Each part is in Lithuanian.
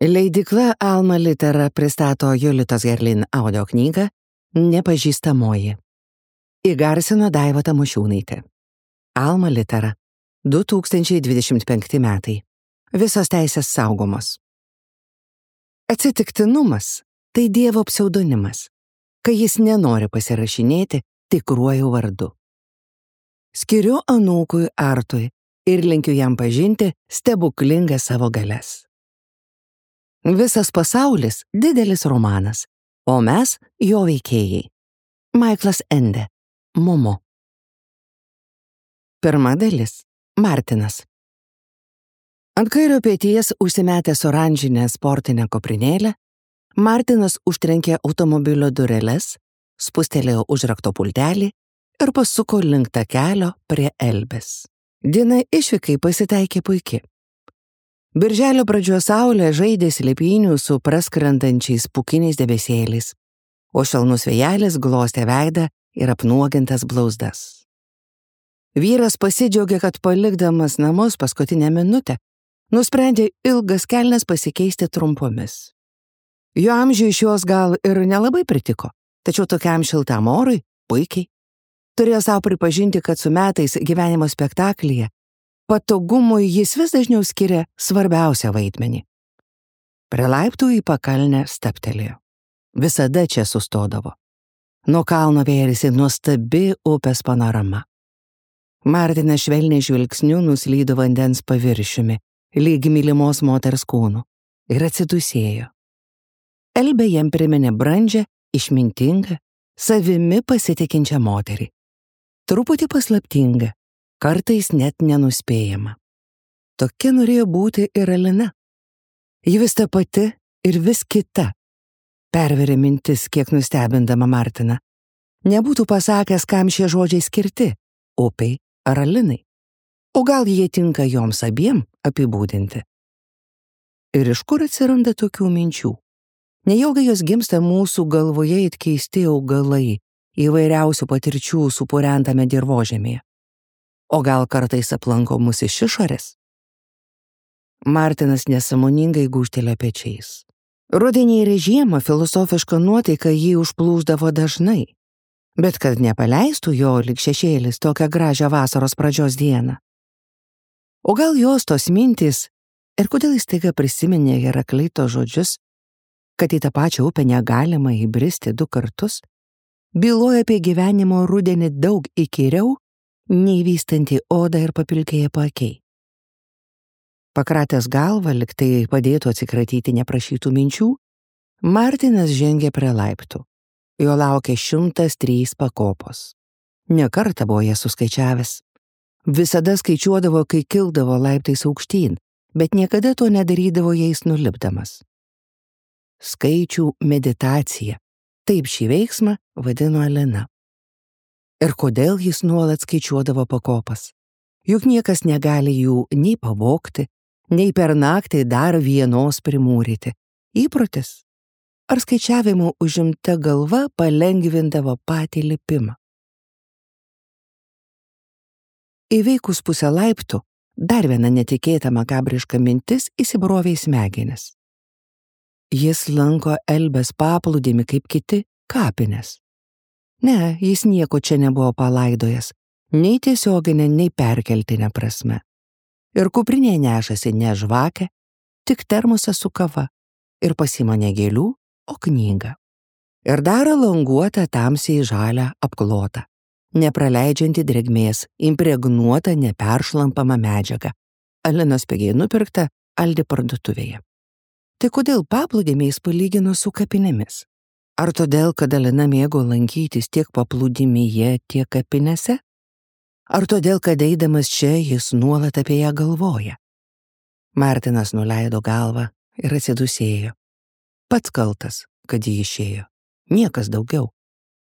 Leidykla Alma Litera pristato Jolitos Herlin audio knygą Nepažįstamoji. Įgarsino Daiva Tamošiūnaitė. Alma Litera. 2025 metai. Visos teisės saugomos. Atsitiktinumas – tai Dievo pseudonimas, kai jis nenori pasirašinėti tikruoju vardu. Skiriu anūkui Artui ir linkiu jam pažinti stebuklingas savo galias. Visas pasaulis – didelis romanas, o mes – jo veikėjai. Maiklas Ende. Momo. Pirma dalis. Martinas. Ant kairio peties užsimetęs oranžinę sportinę kuprinėlę, Martinas užtrenkė automobilio dureles, spustelėjo užrakto pultelį ir pasuko link takelio prie Elbės. Diena išvykai pasitaikė puiki. Birželio pradžios saulė žaidė slėpynių su praskrendančiais pūkiniais debesėliais, o šalnus vėjelis glostė veidą ir apnuogintas blauzdas. Vyras pasidžiaugė, kad palikdamas namus paskutinę minutę, nusprendė ilgas kelnes pasikeisti trumpomis. Jo amžiui šios gal ir nelabai pritiko, tačiau tokiam šiltam orui puikiai. Turėjo savo pripažinti, kad su metais gyvenimo spektaklyje patogumui jis vis dažniau skiria svarbiausią vaidmenį. Prie laiptų į pakalnę stabtelėjo. Visada čia sustodavo. Nuo kalno vėrėsi nuostabi upės panorama. Martinas švelniai žvilgsniu nuslydo vandens paviršiumi, lyg mylimos moters kūnu, ir atsidusėjo. Elbė jam priminė brandžią, išmintingą, savimi pasitikinčią moterį. Truputį paslaptingą, kartais net nenuspėjama. Tokia norėjo būti ir Alina. Ji vis ta pati ir vis kita. Perverė mintis, kiek nustebindama Martiną. Nebūtų pasakęs, kam šie žodžiai skirti – upei ar Alinai. O gal jie tinka joms abiem apibūdinti. Ir iš kur atsiranda tokių minčių? Nejaugi jos gimsta mūsų galvoje it keisti augalai, įvairiausių patirčių supurentame dirvožemyje. O gal kartais aplanko mus iš išorės? Martinas nesąmoningai gūžtelėjo pečiais. Rudenį ir žiemą filosofiška nuotaika jį užplūsdavo dažnai, bet kad nepaleistų jo lyg šešėlis tokią gražią vasaros pradžios dieną. O gal jos tos mintys, ir kodėl jis staiga prisiminė Herakleito žodžius, kad į tą pačią upę negalima įbristi 2 kartus, byloja apie gyvenimo rudenį daug įkyriau, nei vystanti odą ir papilkėję paakiai. Pakratęs galvą, lyg tai padėtų atsikratyti neprašytų minčių, Martinas žengė prie laiptų. Jo laukė 103 pakopos. Ne kartą buvo jas suskaičiavęs. Visada skaičiuodavo, kai kildavo laiptais aukštyn, bet niekada to nedarydavo jais nulipdamas. Skaičių meditacija. Taip šį veiksmą vadino Alina. Ir kodėl jis nuolat skaičiuodavo pakopas? Juk niekas negali jų nei pavogti, nei per naktį dar vienos primūryti. Įprotis. Ar skaičiavimų užimta galva palengvindavo patį lipimą? Įveikus pusę laiptų, dar viena netikėta makabriška mintis įsibrovė į smegenis. Jis lanko Elbės paplūdimį kaip kiti kapines. Ne, jis nieko čia nebuvo palaidojęs, nei tiesioginė, nei perkeltinė prasme. Ir kuprinėje nešasi ne žvakę, tik termosą su kava, ir pasima ne gėlių, o knygą. Ir dar languotą tamsiai žalią apklotą, nepraleidžianti drėgmės, impregnuotą neperšlampamą medžiagą, Alinos pigiai nupirkta Aldi parduotuvėje. Tai kodėl paplūdimį jis palygino su kapinėmis? Ar todėl, kad Alina mėgo lankytis tiek paplūdimyje, tiek kapinėse? Ar todėl, kad eidamas čia jis nuolat apie ją galvoja? Martinas nuleido galvą ir atsidusėjo. Pats kaltas, kad jį išėjo. Niekas daugiau.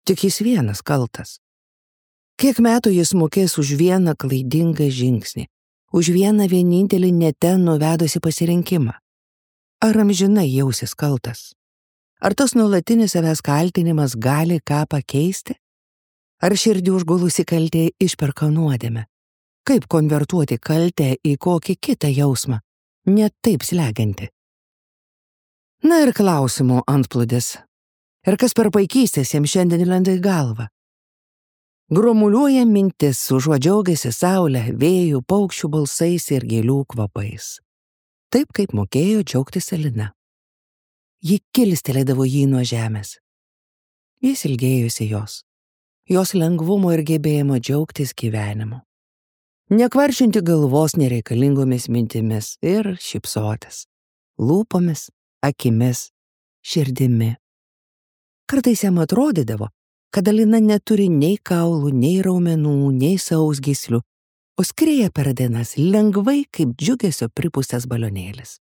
Tik jis vienas kaltas. Kiek metų jis mokės už vieną klaidingą žingsnį, už vieną vienintelį ne ten nuvedusi pasirinkimą? Ar amžinai jausis kaltas? Ar tas nuolatinis savęs kaltinimas gali ką pakeisti? Ar širdį užgulusi kaltė išperka nuodėmę? Kaip konvertuoti kaltę į kokį kitą jausmą, ne taip slegiantį? Na ir klausimų antplūdis. Ir kas per paikystės jiems šiandien lenda į galvą. Grumuliuoja mintis, užuot džiaugiasi saulę, vėjų, paukščių balsais ir gėlių kvapais. Taip kaip mokėjo džiaugtis Alina. Ji kilstelėdavo jį nuo žemės. Jis ilgėjusi jos lengvumo ir gebėjimo džiaugtis gyvenimu. Nekvaršinti galvos nereikalingomis mintimis ir šypsotis, lūpomis, akimis, širdimi. Kartais jam atrodydavo, kad Alina neturi nei kaulų, nei raumenų, nei sausgyslių, o skrieja per dienas lengvai kaip džiugesio pripūstas balionėlis.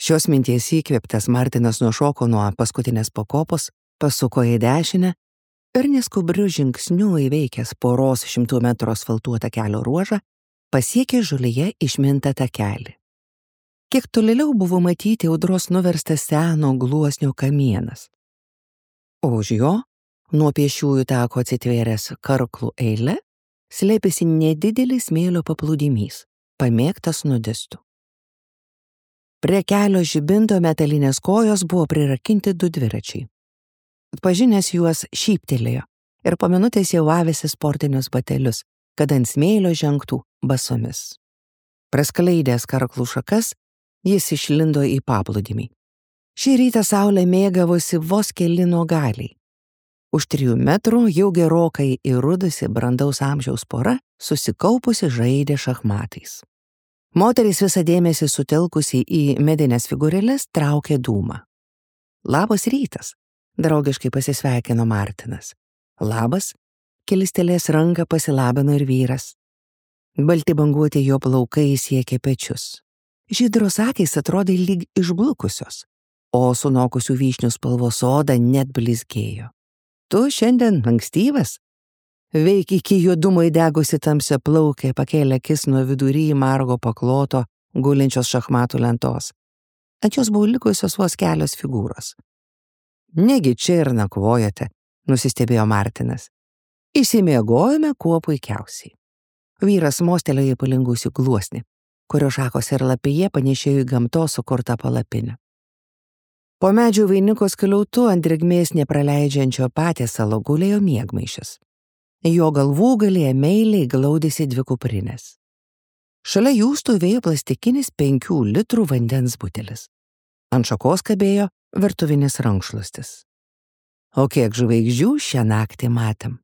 Šios minties įkvėptas Martinas nušoko nuo paskutinės pakopos, pasuko į dešinę ir neskubriu žingsniu įveikęs poros 100 metrų asfaltuotą kelio ruožą, pasiekė žolėje išmintą takelį. Kiek tolėliau buvo matyti audros nuverstas seno gluosnio kamienas. O už jo, nuo pėsčiųjų tako atsitvėręs karklų eilė, slėpėsi nedidelis smėlio paplūdimys, pamėgtas nudistų. Prie kelio žibinto metalinės kojos buvo prirakinti 2 dviračiai. Atpažinęs juos šyptelėjo ir po minutės jau avėsi sportinius batelius, kad ant smėlio žengtų basomis. Praskleidęs karklų šakas, jis išlindo į paplūdimį. Šį rytą saulė mėgavosi vos keli nuogaliai. Už 3 metrų jau gerokai įrudusi brandaus amžiaus pora susikaupusi žaidė šachmatais. Moteris visą dėmesį sutelkusi į medinės figūrėles traukė dūmą. Labas rytas, draugiškai pasisveikino Martinas. Labas, kilstelės ranką pasilabino ir vyras. Balti banguoti jo plaukai siekė pečius. Žydros akys atrodė lyg išblukusios, o sunokusių vyšnių spalvos oda net blizgėjo. Tu šiandien ankstyvas? Veik iki juodumo įdegusi tamsia plaukė, pakėlė akis nuo vidury margo pakloto gulinčios šachmatų lentos. Ant jos buvo likusios vos kelios figūros. Negi čia ir nakvojate, nusistebėjo Martinas. Išsimiegojome kuo puikiausiai. Vyras mostelėjo į palingusių gluosnį, kurio šakos ir lapėje panešėjo į gamtos sukurtą palapinę. Po medžių vainiko skliautu ant drėgmės nepraleidžiančio patiesalo gulėjo miegmaišis. Jo galvūgalyje meiliai glaudėsi 2 kuprinės. Šalia jų stovėjo plastikinis 5 litrų vandens butelis. Ant šakos kabėjo virtuvinis rankšluostis. O kiek žvaigždžių šią naktį matėm.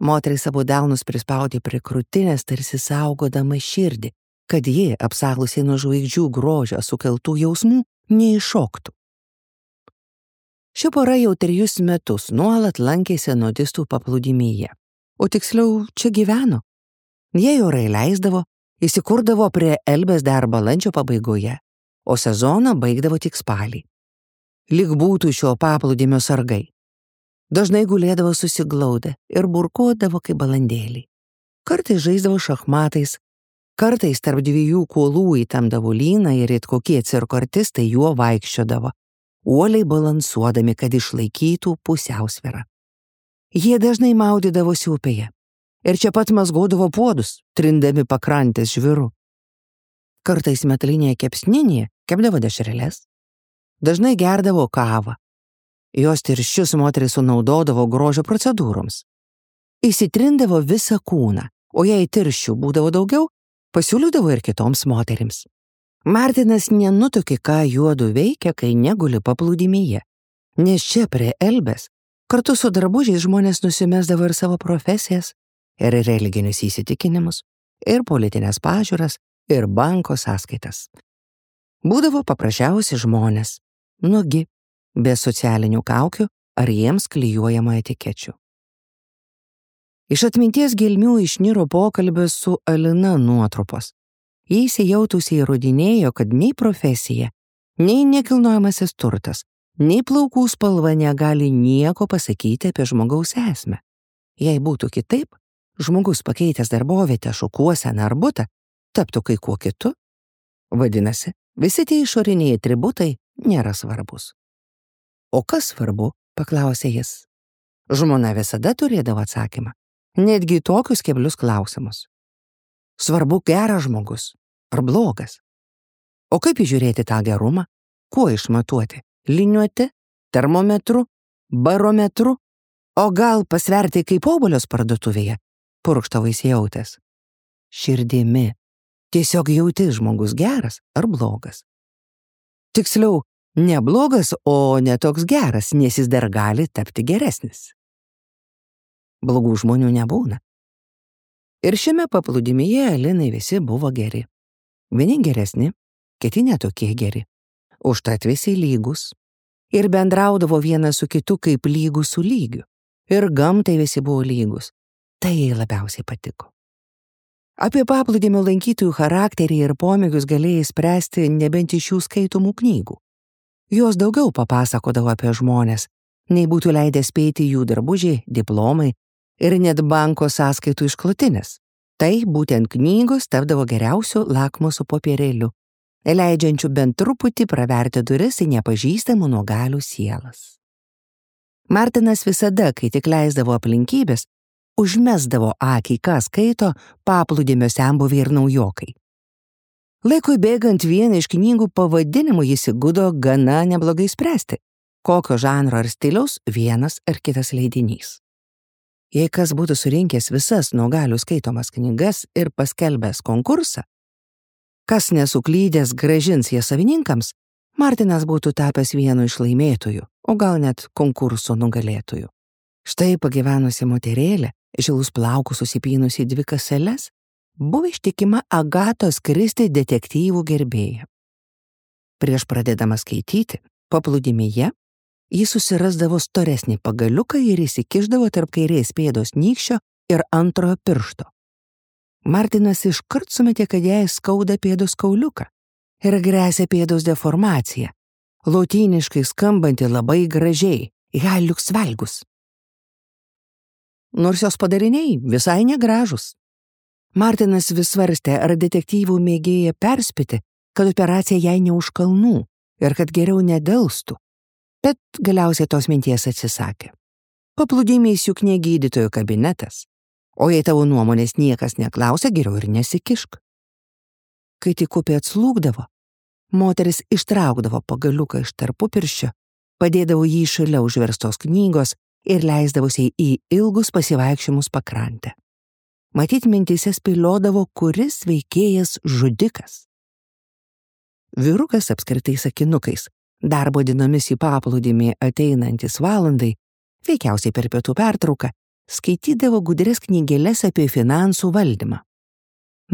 Moteris abu delnus prispaudė prie krūtinės, tarsi saugodama širdį, kad ji, apsalusiai nuo žvaigždžių grožio sukeltų jausmų, neiššoktų. Ši pora jau 3 metus nuolat lankėsi nudistų paplūdimyje, o tiksliau čia gyveno. Jie orai leisdavo, įsikurdavo prie Elbės dar balandžio pabaigoje, o sezoną baigdavo tik spalį. Lyg būtų šio paplūdimio sargai. Dažnai gulėdavo susiglaudę ir burkuodavo kaip balandėliai. Kartais žaisdavo šachmatais, kartais tarp 2 kuolų įtemdavo lyną ir it kokie cirko artistai juo vaikščiodavo, uoliai balansuodami, kad išlaikytų pusiausvyrą. Jie dažnai maudydavosi upėje ir čia pat mazgodavo puodus, trindami pakrantės žviru. Kartais metalinėje kepsninėje kepdavo dešreles, dažnai gerdavo kavą. Jos tirščius moteris sunaudodavo grožio procedūroms. Įsitrindavo visą kūną, o jei tirščių būdavo daugiau, pasiūlydavo ir kitoms moterims. Martinas nenutuokė, ką juodu veikia, kai neguli paplūdimyje, nes čia prie Elbės kartu su drabužiais žmonės nusimesdavo ir savo profesijas, ir religinius įsitikinimus, ir politinės pažiūras, ir banko sąskaitas. Būdavo paprasčiausi žmonės, nugi, be socialinių kaukių ar jiems klijuojamų etikečių. Iš atminties gelmių išniro pokalbis su Alina nuotrupos. Jie įsijautusiai įrodinėjo, kad nei profesija, nei nekilnojamasis turtas, nei plaukų spalva negali nieko pasakyti apie žmogaus esmę. Jei būtų kitaip, žmogus pakeitęs darbovietę, šukuoseną ar butą, taptų kai kuo kitu. Vadinasi, visi tie išoriniai atributai nėra svarbus. O kas svarbu, paklausė jis. Žmona visada turėdavo atsakymą, netgi tokius keblius klausimus. Svarbu geras žmogus ar blogas. O kaip įžiūrėti tą gerumą? Kuo išmatuoti? Liniuoti? Termometru? Barometru? O gal pasverti kaip obuolius parduotuvėje? Purkšto vaisijautės. Širdimi. Tiesiog jauti žmogus geras ar blogas. Tiksliau, ne blogas, o ne toks geras, nes jis dar gali tapti geresnis. Blogų žmonių nebūna. Ir šiame paplūdimyje Alinai visi buvo geri. Vieni geresni, kiti netokie geri. Užtat visi lygus. Ir bendraudavo vienas su kitu kaip lygus su lygiu. Ir gamtai visi buvo lygus. Tai jai labiausiai patiko. Apie paplūdimio lankytojų charakterį ir pomėgius galėjai spręsti nebent iš jų skaitomų knygų. Jos daugiau papasakodavo apie žmonės, nei būtų leidę spėti jų drabužiai, diplomai ir net banko sąskaitų išklotinės. Tai būtent knygos tapdavo geriausiu lakmuso popierėliu, leidžiančiu bent truputį praverti duris į nepažįstamų nuogalių sielas. Martinas visada, kai tik leisdavo aplinkybės, užmesdavo akį, ką skaito paplūdimio senbuviai ir naujokai. Laikui bėgant vieną iš knygų pavadinimų jis įgudo gana neblogai spręsti, kokio žanro ar stiliaus vienas ar kitas leidinys. Jei kas būtų surinkęs visas nuogalių skaitomas knygas ir paskelbęs konkursą, kas nesuklydęs grąžins jas savininkams, Martinas būtų tapęs vienu iš laimėtojų, o gal net konkurso nugalėtojų. Štai pagyvenusi moterėlė, žilus plaukus susipynusi į 2 kaseles, buvo ištikima Agatos Kristi detektyvų gerbėja. Prieš pradėdama skaityti, paplūdimyje, jis susirasdavo storesnį pagaliuką ir įsikišdavo tarp kairės pėdos nykščio ir antrojo piršto. Martinas iškart sumetė, kad jai skauda pėdos kauliuką ir gresia pėdos deformacija, lotyniškai skambanti labai gražiai, haliux valgus. Nors jos padariniai visai negražus. Martinas vis svarstė, ar detektyvų mėgėja perspėti, kad operacija jai ne už kalnų ir kad geriau nedelstų, bet galiausiai tos minties atsisakė. Paplūdimys juk ne gydytojo kabinetas, o jei tavo nuomonės niekas neklausia, geriau ir nesikišk. Kai tik upė atslūgdavo, moteris ištraukdavo pagaliuką iš tarpupirščio, padėdavo jį šalia užverstos knygos ir leisdavusiai į ilgus pasivaikščiojimus pakrantę. Matyt, mintyse spėliodavo, kuris veikėjas žudikas. Vyrukas apskritai sakinukais, darbo dienomis į paplūdimį ateinantis valandai, veikiausiai per pietų pertrauką, skaitydavo gudrias knygeles apie finansų valdymą.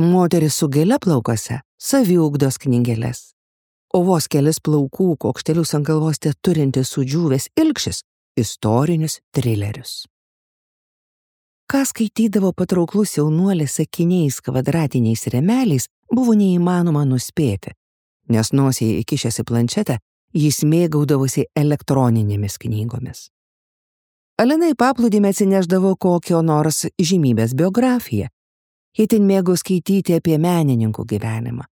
Moteris su gėle plaukose saviugdos knygeles, o vos kelis plaukų kokštelius ant galvos turintis sudžiūvęs ilgšis istorinius trilerius. Ką skaitydavo patrauklus jaunuolis sakiniais kvadratiniais rėmeliais, buvo neįmanoma nuspėti, nes nosiai įkišęs į planšetę, jis mėgaudavosi elektroninėmis knygomis. Alinai paplūdimį atsineždavo kokio nors žymybės biografiją. Itin mėgo skaityti apie menininkų gyvenimą.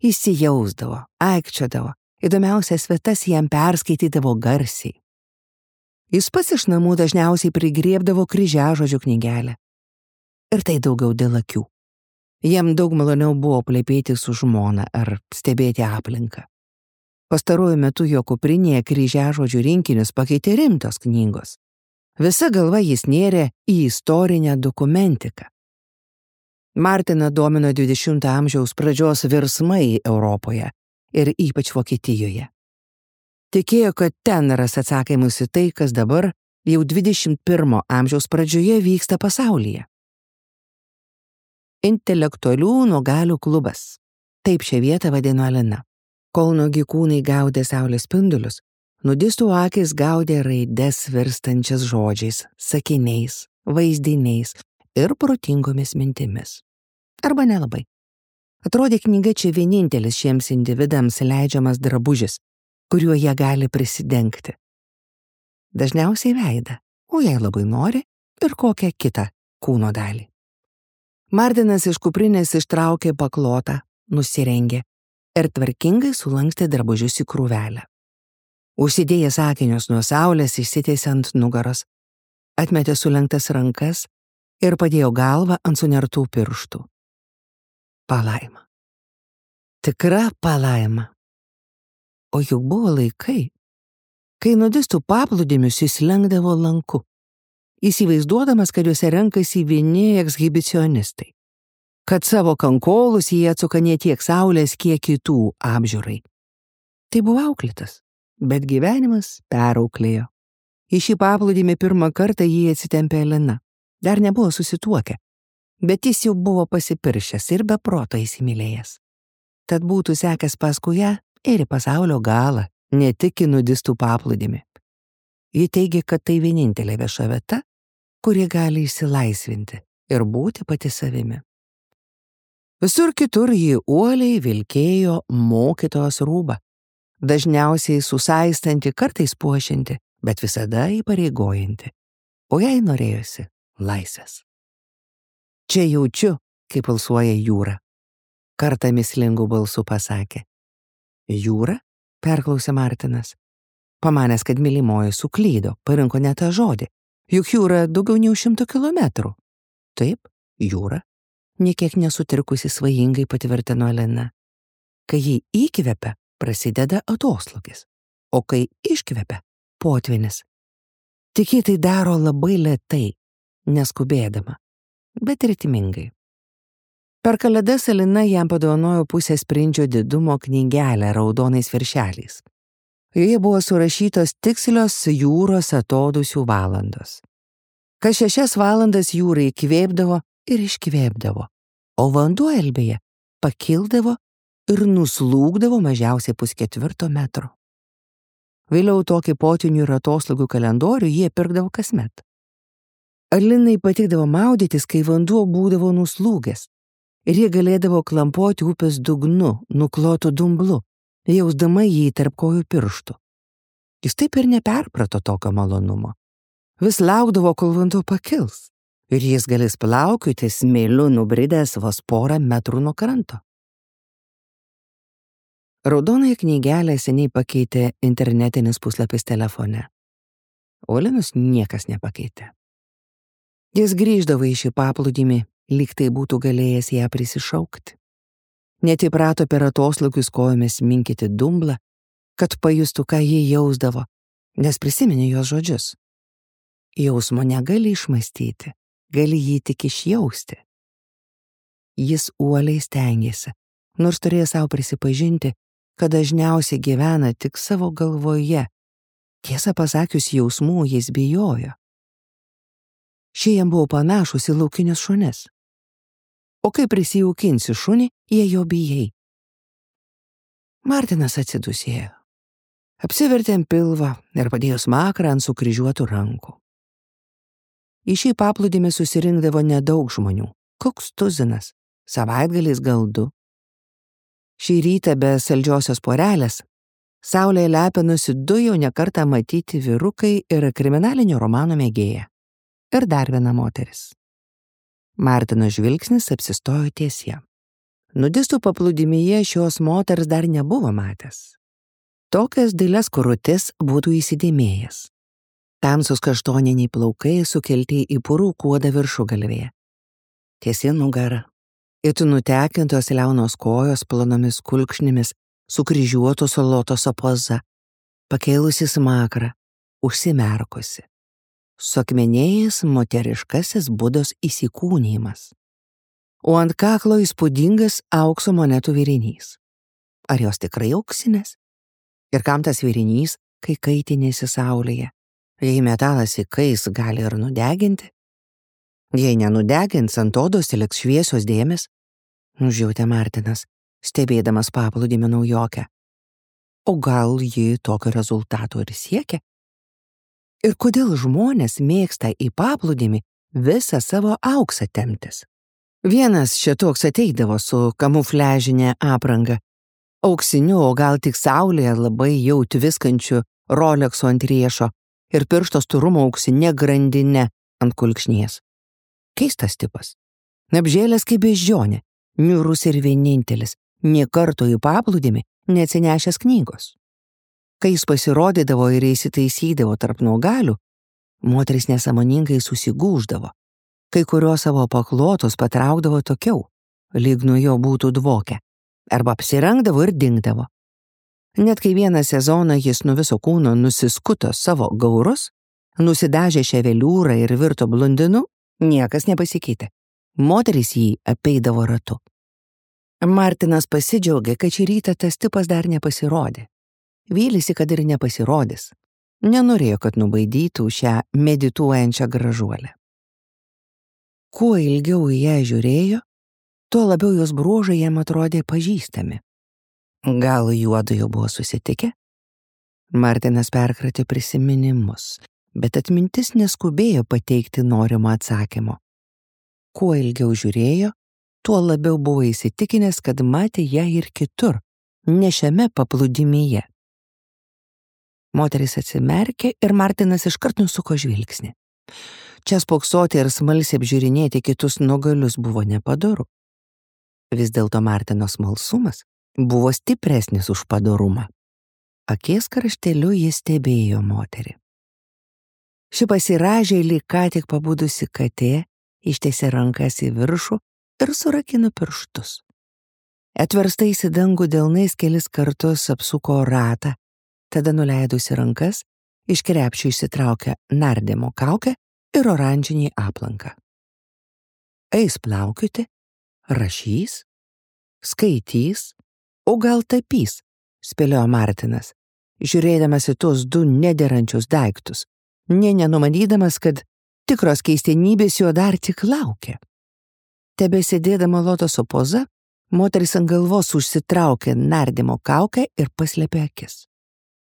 Įsijausdavo, aikčiodavo, įdomiausias vietas jam perskaitydavo garsiai. Jis pats iš namų dažniausiai prigriebdavo kryžiažodžių knygelę. Ir tai daugiau dėl akių. Jam daug maloniau buvo plepėti su žmona ar stebėti aplinką. Pastaruoju metu jo kuprinėje kryžiažodžių rinkinius pakeitė rimtos knygos. Visa galva jis nėrė į istorinę dokumentiką. Martiną domino 20 amžiaus pradžios virsmai Europoje ir ypač Vokietijoje. Tikėjo, kad ten ras atsakymus į tai, kas dabar jau 21 amžiaus pradžioje vyksta pasaulyje. Intelektualių nuogalių klubas. Taip šią vietą vadino Alina. Kol nuogi kūnai gaudė saulės spindulius, nudistų akis gaudė raides virstančias žodžiais, sakiniais, vaizdiniais ir protingomis mintimis. Arba nelabai. Atrodė, knyga čia vienintelis šiems individams leidžiamas drabužis, kuriuo jie gali prisidengti. Dažniausiai veidą, o jei labai nori, ir kokią kitą kūno dalį. Martinas iš kuprinės ištraukė paklotą, nusirengė ir tvarkingai sulankstė drabužius į krūvelę. Užsidėjęs akinius nuo saulės išsitiesė ant nugaros, atmetė sulenktas rankas ir padėjo galvą ant sunertų pirštų. Palaima. Tikra palaima. O juk buvo laikai, kai nudistų paplūdimius jis lenkdavo lanku, įsivaizduodamas, kad juose renkasi vieni ekshibicionistai, kad savo kankolus jie atsuka ne tiek saulės, kiek kitų apžiūrai. Tai buvo auklėtas, bet gyvenimas perauklėjo. Į šį paplūdimį pirmą kartą jį atsitempė Elena. Dar nebuvo susituokę, bet jis jau buvo pasipiršęs ir be proto įsimylėjęs. Tad būtų sekęs paskui ją ir į pasaulio galą, ne tik į nudistų paplūdimį. Ji teigė, kad tai vienintelė vieša vieta, kuri gali išsilaisvinti ir būti pati savimi. Visur kitur ji uoliai vilkėjo mokytojos rūbą, dažniausiai susaistanti, kartais puošianti, bet visada įpareigojanti, o jai norėjosi laisvės. Čia jaučiu, kaip pulsuoja jūra, kartą mislingų balsų pasakė. Jūra? Perklausė Martinas. Pamanęs, kad mylimoji suklydo, parinko ne tą žodį, juk jūra daugiau nei 100 kilometrų. Taip, jūra, niekiek nesutrikusi svajingai patvirtino Elena. Kai jį įkvepia, prasideda atoslūgis, o kai iškvepia, potvynis. Tik ji tai daro labai lėtai, neskubėdama, bet ritmingai. Per kalėdas Elena jam padovanojo pusės sprindžio didumo knygelę raudonais viršeliais. Joje buvo surašytos tikslios jūros atodūsių valandos. Kas 6 valandas jūra įkvėpdavo ir iškvėpdavo, o vanduo Elbėje pakildavo ir nuslūgdavo mažiausiai 3/4 metro. Vėliau tokį potvynių ir atoslūgių kalendorių jie pirkdavo kasmet. Elinai patikdavo maudytis, kai vanduo būdavo nuslūgęs, ir jie galėdavo klampoti upės dugnu, nuklotu dumblu, jausdama jį tarp kojų pirštų. Jis taip ir neperprato tokio malonumo. Vis laukdavo, kol vanduo pakils, ir jis galės plaukioti smėliu nubridęs vos 1 metrų nuo kranto. Raudonąją knygelę seniai pakeitė internetinis puslapis telefone. O Elinos niekas nepakeitė. Jis grįždavo į šį paplūdimį, lyg tai būtų galėjęs ją prisišaukti. Net įprato per atoslūgius kojomis minkyti dumblą, kad pajustų, ką ji jausdavo, nes prisiminė jos žodžius. Jausmo negali išmąstyti, gali jį tik išjausti. Jis uoliai stengėsi, nors turėjo savo prisipažinti, kad dažniausiai gyvena tik savo galvoje. Tiesą pasakius, jausmų jis bijojo. Šie jam buvo panašus į laukinius šunis. O kai prisijaukinsi šunį, jie jo bijai. Martinas atsidusėjo. Apsivertė ant pilvą ir padėjo smakrą ant sukryžiuotų rankų. Į šį paplūdimį susirinkdavo nedaug žmonių, koks tuzinas, savaitgaliais gal 2. Šį rytą be saldžiosios porelės, saulėje lepinusi 2 jau nekartą matyti vyrukai ir kriminalinio romano mėgėja. Ir dar viena moteris. Martino žvilgsnis apsistojo ties ją. Nudistų paplūdimyje šios moters dar nebuvo matęs. Tokias dailias kurutes būtų įsidėmėjęs. Tamsus kaštoniniai plaukai sukelti į purų kuodą viršugalvėje. Tiesi nugara. It nutekintos liaunos kojos plonomis kulkšnimis, sukryžiuotos lotoso poza, pakėlusi smakrą, užsimerkusi. Suakmenėjęs moteriškasis Budos įsikūnijimas. O ant kaklo įspūdingas aukso monetų virinys. Ar jos tikrai auksinės? Ir kam tas virinys, kai kaitinėsi saulėje? Jei metalas įkais, gali ir nudeginti. Jei nenudegins, ant odos liks šviesios dėmės, nužiautė Martinas, stebėdamas paplūdimio naujokę. O gal ji tokio rezultato ir siekia? Ir kodėl žmonės mėgsta į paplūdimį visą savo auksą temptis? Vienas šitoks ateidavo su kamufliažinė apranga, auksiniu, o gal tik saulėje labai jau tviskančiu Rolexu ant riešo ir piršto storumo auksinė grandinė ant kulkšnies. Keistas tipas. Apžėlęs kaip beždžionė, niūrus ir vienintelis, nė karto į paplūdimį neatsinešęs knygos. Kai jis pasirodydavo ir įsitaisydavo tarp nuogalių, moteris nesąmoningai susigūždavo, kai kurios savo paklotus patraukdavo tokiau, lyg nuo jo būtų dvokę, arba apsirengdavo ir dingdavo. Net kai vieną sezoną jis nuo viso kūno nusiskuto savo gaurus, nusidažė ševeliūrą ir virto blondinu, niekas nepasikeitė. Moterys jį apeidavo ratu. Martinas pasidžiaugė, kad šį rytą tas tipas dar nepasirodė. Vylėsi, kad ir nepasirodys. Nenorėjo, kad nubaidytų šią medituojančią gražuolę. Kuo ilgiau į ją žiūrėjo, tuo labiau jos bruožai jam atrodė pažįstami. Gal juodu jau buvo susitikę? Martinas perkratė prisiminimus, bet atmintis neskubėjo pateikti norimo atsakymo. Kuo ilgiau žiūrėjo, tuo labiau buvo įsitikinęs, kad matė ją ir kitur, ne šiame paplūdimyje. Moteris atsimerkė ir Martinas iškart nusuko žvilgsnį. Čia spoksoti ir smalsiai apžiūrinėti kitus nugalius buvo nepadoru. Vis dėlto Martino smalsumas buvo stipresnis už padorumą. Akies krašteliu jis stebėjo moterį. Ši pasirąžė lyg ką tik pabudusi katė, ištiesė rankas į viršų ir surakino pirštus. Atverstais į dangų delnais kelis kartus apsuko ratą, tada nuleidusi rankas, iš krepšio išsitraukė nardymo kaukę ir oranžinį aplanką. Eis plaukioti, rašys, skaitys, o gal tapys, spėliojo Martinas, žiūrėdamas į tuos du nederančius daiktus, nenumanydamas, kad tikros keistenybės jo dar tik laukia. Tebesėdėdama lotoso poza, moteris ant galvos užsitraukė nardymo kaukę ir paslėpė akis.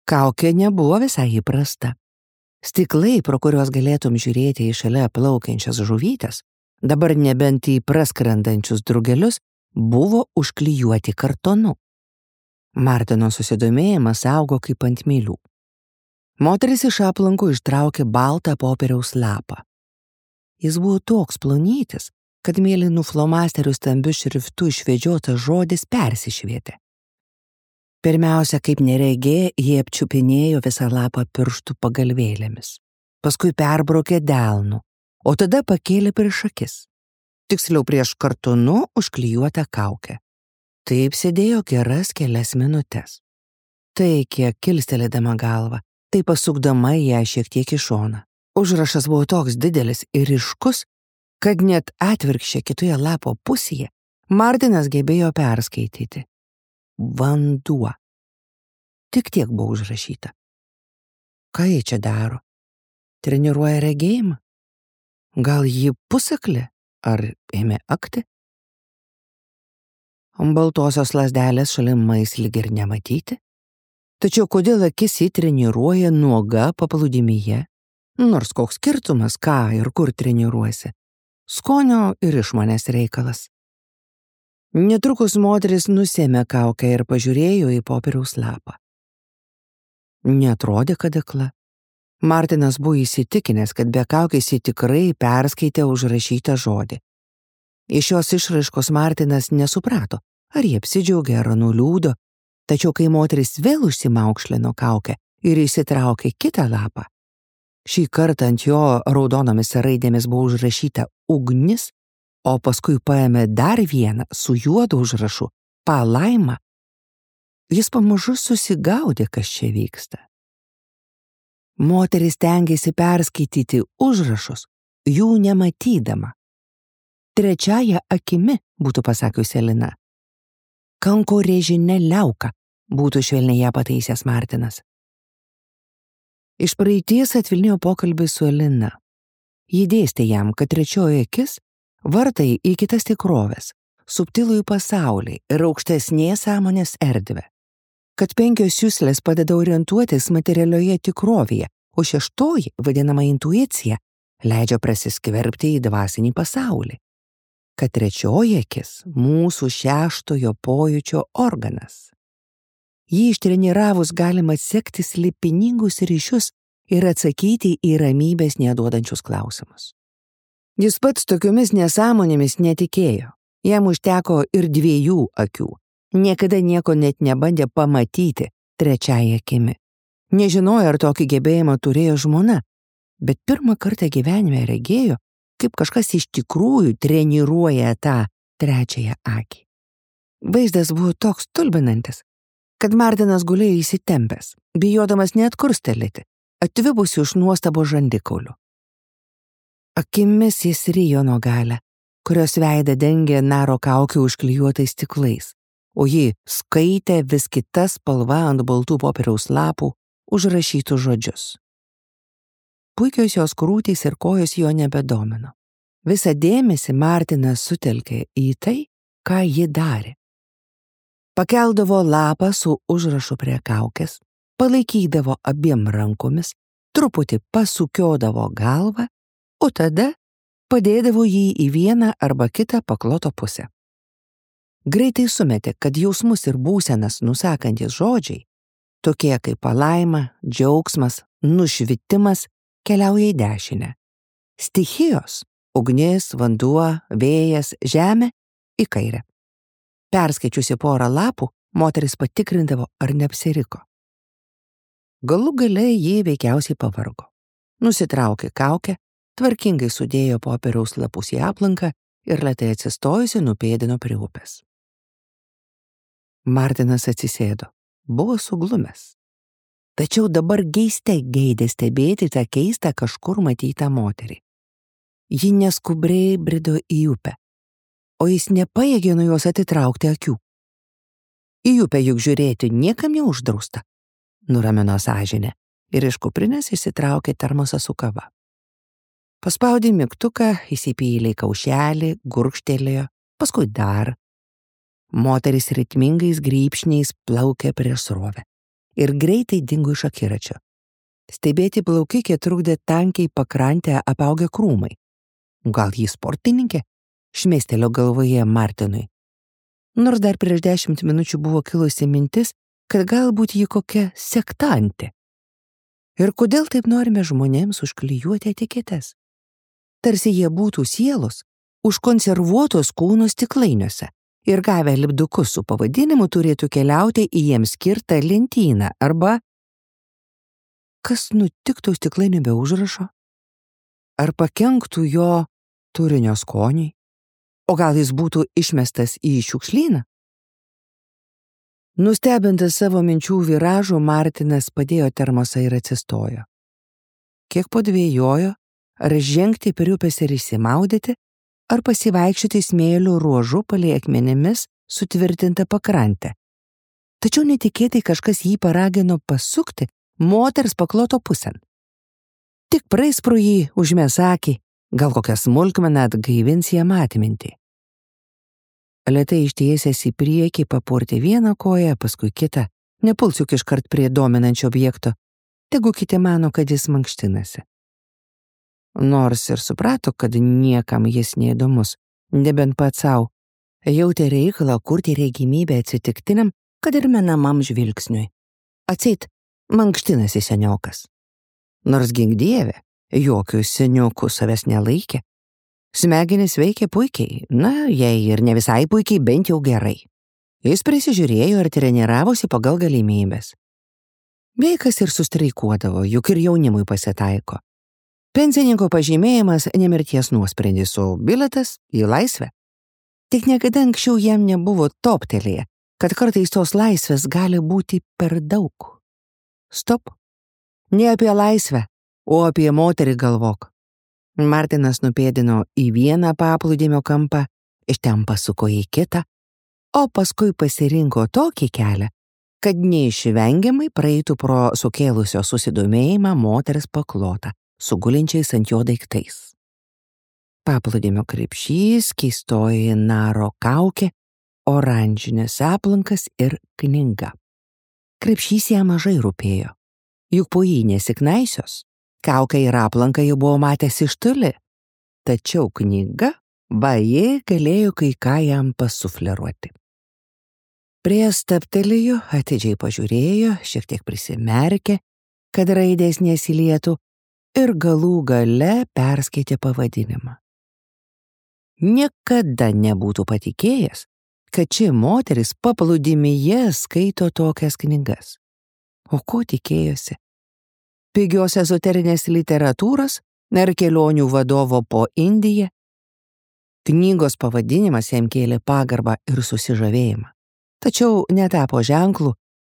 Kaukė nebuvo visai įprasta. Stiklai, pro kuriuos galėtum žiūrėti į šalia plaukiančias žuvytes, dabar nebent į praskrendančius drugelius, buvo užklijuoti kartonu. Martino susidomėjimas augo kaip ant mylių. Moteris iš aplankų ištraukė baltą popieriaus lapą. Jis buvo toks plonytis, kad mėlynų flomasterių stambiu šriftu išvedžiotas žodis persišvietė. Pirmiausia, kaip neregė, jie apčiupinėjo visą lapą pirštų pagalvėlėmis. Paskui perbraukė delnu, o tada pakėlė prieš akis. Tiksliau prieš kartonu užklijuotą kaukę. Taip sėdėjo geras kelias minutes. Tai kiek kilstelėdama galvą, tai pasukdama ją šiek tiek į šoną. Užrašas buvo toks didelis ir ryškus, kad net atvirkščiai kitoje lapo pusėje Martinas gebėjo perskaityti. Vanduo. Tik tiek buvo užrašyta. Ką jie čia daro? Treniruoja regėjimą? Gal ji pusaklė? Ar ėmė akti? Baltosios lazdelės šalimais lyg ir nematyti. Tačiau kodėl akis įtreniruoja nuoga paplūdimyje? Nors koks skirtumas, ką ir kur treniruosi. Skonio ir išmonės reikalas. Netrukus moteris nusėmė kaukę ir pažiūrėjo į popieriaus lapą. Neatrodė, kad akla. Martinas buvo įsitikinęs, kad be kaukės ji tikrai perskaitė užrašytą žodį. Iš šios išraiškos Martinas nesuprato, ar jie apsidžiaugė ar nuliūdo, tačiau kai moteris vėl užsimaukšlino kaukę ir įsitraukė kitą lapą, šį kartą ant jo raudonomis raidėmis buvo užrašyta ugnis, o paskui paėmė dar vieną su juodu užrašu palaima, jis pamažu susigaudė, kas čia vyksta. Moteris stengėsi perskaityti užrašus, jų nematydama. Trečiaja akimi, būtų pasakiusi Elina. Kankorėžinė liauka, būtų švelniai ją pataisęs Martinas. Iš praeities atvilnijo pokalbį su Elina. Ji dėstė jam, kad trečioji akis vartai į kitas tikroves, subtilųjį pasaulį ir aukštesnės sąmonės erdvę, kad 5 juslės padeda orientuotis materialioje tikrovėje, o 6, vadinama intuicija, leidžia prasiskverbti į dvasinį pasaulį, kad 3 akis mūsų 6 pojūčio organas. Jį ištreniravus galima atsekti slėpiningus ryšius ir atsakyti į ramybės neduodančius klausimus. Jis pats tokiomis nesąmonėmis netikėjo. Jam užteko ir 2 akių. Niekada nieko net nebandė pamatyti trečiąją akimi. Nežinojo, ar tokį gebėjimą turėjo žmona, bet pirmą kartą gyvenime regėjo, kaip kažkas iš tikrųjų treniruoja tą trečiąją akį. Vaizdas buvo toks stulbinantis, kad Martinas gulėjo įsitempęs, bijodamas net kurstelėti, atvibusi iš nuostabo žandikaulių. Akimis jis rijo nuo galę, kurios veidą dengė naro kaukė užklijuotais stiklais, o ji skaitė vis kita spalva ant baltų popieriaus lapų užrašytus žodžius. Puikios jos krūtys ir kojos jo nebedomino. Visą dėmesį Martinas sutelkė į tai, ką ji darė. Pakeldavo lapą su užrašu prie kaukės, palaikydavo abiem rankomis, truputį pasukiodavo galvą, o tada padėdavo jį į vieną arba kitą pakloto pusę. Greitai sumetė, kad jausmus ir būsenas nusakantis žodžiai, tokie kaip palaima, džiaugsmas, nušvitimas, keliauja į dešinę. Stichijos – ugnis, vanduo, vėjas, žemė – į kairę. Perskaičiusi porą lapų, moteris patikrindavo, ar neapsiriko. Galų gale jį veikiausiai pavargo. Nusitraukė kaukę, tvarkingai sudėjo popieriaus lapus į aplanką ir lėtai atsistojusi nupėdino prie upės. Martinas atsisėdo, buvo suglumęs. Tačiau dabar geiste geidė stebėti tą keistą kažkur matytą moterį. Ji neskubriai brido į upę, o jis nepajėgė nuo jos atitraukti akių. Į upę juk žiūrėti niekam neuždrausta, nuramino sąžinė ir iš kuprinės išsitraukė termosą su kava. Paspaudė mygtuką, įsipylė kaušelį, gurkštelėjo, paskui dar. Moteris ritmingais grybšniais plaukė prieš srovę ir greitai dingo iš akiračio. Stebėti plaukikę trukdė tankiai pakrantę apaugę krūmai. Gal ji sportininkė? Šmėstelio galvoje Martinui. Nors dar prieš 10 minučių buvo kilusi mintis, kad galbūt ji kokia sektantė. Ir kodėl taip norime žmonėms užklijuoti etiketes? Tarsi jie būtų sielos, užkonservuotos kūno stiklainiuose ir gavę lipdukus su pavadinimu turėtų keliauti į jiems skirtą lentyną arba... Kas nutiktų stiklainių be užrašo? Ar pakenktų jo turinio skoniui? O gal jis būtų išmestas į šiukšlyną? Nustebintas savo minčių viražų, Martinas padėjo termosą ir atsistojo. Kiek padvėjojo, ar žengti per upės ir išsimaudyti, ar pasivaikščioti smėlių ruožu palei akmenimis sutvirtintą pakrantę. Tačiau netikėtai kažkas jį paragino pasukti moters pakloto pusėn. Tik praeis pro jį, užmes akį, gal kokią smulkmeną atgaivins jam atmintį. Lėtai ištiesęs į priekį papurtė vieną koją, paskui kitą, nepuls juk iškart prie dominančio objekto, tegu kiti mano, kad jis mankštinasi. Nors ir suprato, kad niekam jis neįdomus, nebent pats savo, jautė reikalą kurti regimybę atsitiktiniam, kad ir menamam žvilgsniui. Atseit, mankštinasi seniokas. Nors gink dieve, jokių seniokų savęs nelaikė. Smegenys veikė puikiai, jei ir ne visai puikiai, bent jau gerai. Jis prisižiūrėjo ir treniravosi pagal galimybės. Veikas ir sustreikuodavo, juk ir jaunimui pasitaiko. Pensininko pažymėjimas nemirties nuosprendis, o biletas į laisvę. Tik niekada anksčiau jam nebuvo toptelėję, kad kartais tos laisvės gali būti per daug. Stop. Ne apie laisvę, o apie moterį galvok. Martinas nupėdino į vieną paplūdimio kampą, iš ten pasuko į kitą, o paskui pasirinko tokį kelią, kad neišvengiamai praeitų pro sukėlusio susidomėjimą moters paklotą, sugulinčiais ant jo daiktais. Paplūdimio krepšys, keistoji naro kaukė, oranžinis aplankas ir knyga. Krepšys jam mažai rūpėjo, juk po jį nesiknaisios. Kaukę ir aplanką jau buvo matęs iš toli, tačiau knyga, ji galėjo kai ką jam pasufleruoti. Prie stabtelėjo, atidžiai pažiūrėjo, šiek tiek prisimerkė, kad raidės nesilietų ir galų gale perskaitė pavadinimą. Niekada nebūtų patikėjęs, kad ši moteris paplūdimyje skaito tokias knygas. O ko tikėjosi? Pigios ezoterinės literatūros ar kelionių vadovo po Indiją? Knygos pavadinimas jam kėlė pagarbą ir susižavėjimą, tačiau netapo ženklu,